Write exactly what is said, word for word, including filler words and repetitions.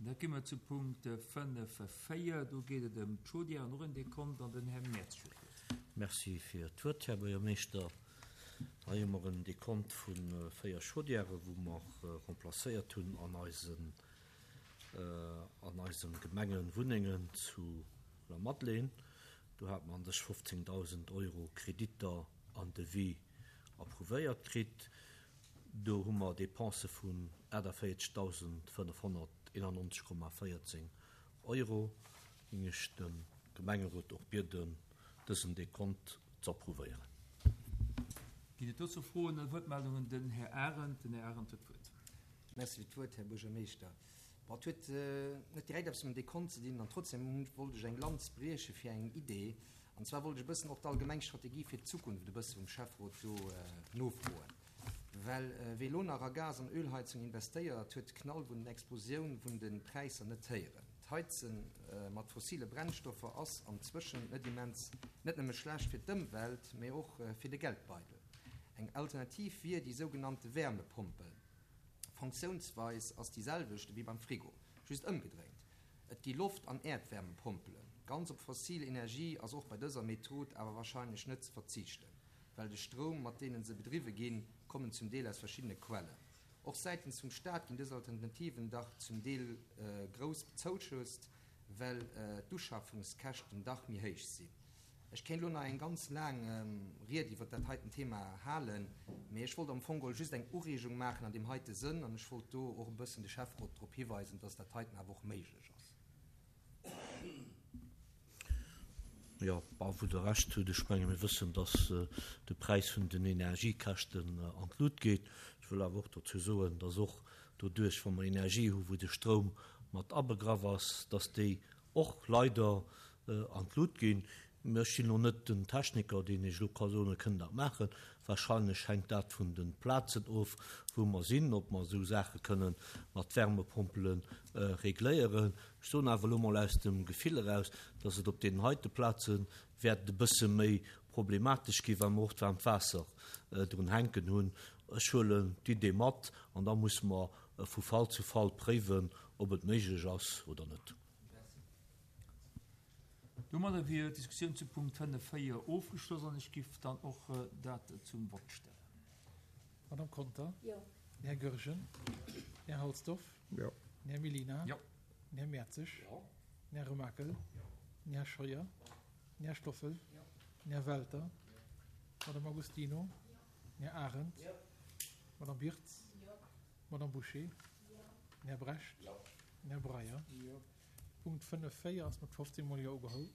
Da gi mer zu Punkt fënnef véier. Do geet et ëm d'Chaudière an och en Dekont an den Här Mertz huet d'Wuert. Merci fir d'Wuert, Här Buergermeeschter. Hei hu mer en Dekont vu véier Chaudièrë wou mer remplacéiert hunn an eisen an eisem Gemengenwunnengen zu Lamadelaine. Do hat mer an sech fofzéngdausend Euro Kreditter an Devis approuvéiert kritt. Do hu mer Dépensë vun aachtavéierzegdausendfënnefhonnerteenannonzeg Komma véierzéng Euro. Géing ech de Gemengerot och bieden, dësen Dekont ze approuvéieren. Ginn et dozou Froen oder Wuertmeldungen? Den Här Arendt. Den Här Arendt huet d'Wuert. Merci fir d'Wuert, Här Buergermeeschter. Bon, et huet net direkt eppes mam Dekont ze dinn an trotzdem wollt ech eng Lanz brieche fir eng Idee. An zwar wollt ech e bëssen och d'allgemeng Strategie fir d'Zukunft e bësse vum Schäfferot do nofroen. Well wie elo nach a Gas an Ölheizung investéiert, huet de Knall vun den Explosioun vun de Präisser net héieren. D'Heize mat fossile Brennstoffer ass an Zwëschen net immens net nëmme schlecht fir d'Ëmwelt, mee och fir de Geldbeidel. Eng Alternativ wier déi sougenannte Wärmepompel. Funktiounsweis ass déi selwecht ewéi beim Frigo, just ëmgedréint. Et gi Loft an Äerdwärmepompelen. Ganz op fossil Energie ass och bei dëser Method awer warscheinlech net ze verzichten, well de Stroum, mat deenen se bedriwwe ginn, kommen zum Deel aus verschiddene Quellen. Och säitens vum Staat ginn dës Alternativen dach zum Deel grouss bezouschousst, well d'Uschaffungskäschten dach méi héich sinn. Ech kéint elo nach eng ganz laang Ried iwwert dat heiten Thema halen, mee ech wollt am Fong geholl just eng Ureegung maachen an deem heite Sënn an ech wollt do och e bëssen de Schäfferot drop hiweisen, dass dat heiten awer och méiglech ass. Jo, bah, wou Der Recht hutt. Ech menge mir wëssen, dass de Präis vun den Energiekäschten an d'Lut geet. Ech wëll awer och dozou soen, dass och doduerch, wa mer Energie hu wou de Stroum mat abegraff ass, dass déi och leider an d'Lut ginn. Ech sinn elo net den Techniker, deen Iech elo ka soen, e kënnt dat maachen. Wahrscheinlech hänkt dat vun de Plazen of, wou mer sinn, ob mer esou Saache kënne mat Wärmepompele regléieren. Ech soen awer elo mol aus dem Gefill eraus, dass et op deenen heite Plaze wäert e bësse méi problematesch ginn, well mer och d'waarmt Waasser drun hänken hunn. Ech huelen d'Idee mat an da musse mer vu Fall zu Fall préiwen, ob et méiglech ass oder net. Domadder wier d'Diskussioun zu Punkt fënnef véier ofgeschloss an ech giff dann och dat zum Vott stellen. Madame Conter? Jo. Den Här Goergen? Den Här Halsdorf? Jo. Den Här Mellina? Jo. Den Här Mertzig? Jo. Den Här Remakel? Den Här Scheuer? Den Här Stoffel? Jo. Den Här Welter? Madame Agostino? Den Här Arendt? Jo. Madame Birtz? Jo. Madame Bouché? Jo. Den Här Brecht? Jo. Den Här Breyer? Jo. Punkt fënnef véier ass mat fofzéng Mol Jo ugeholl.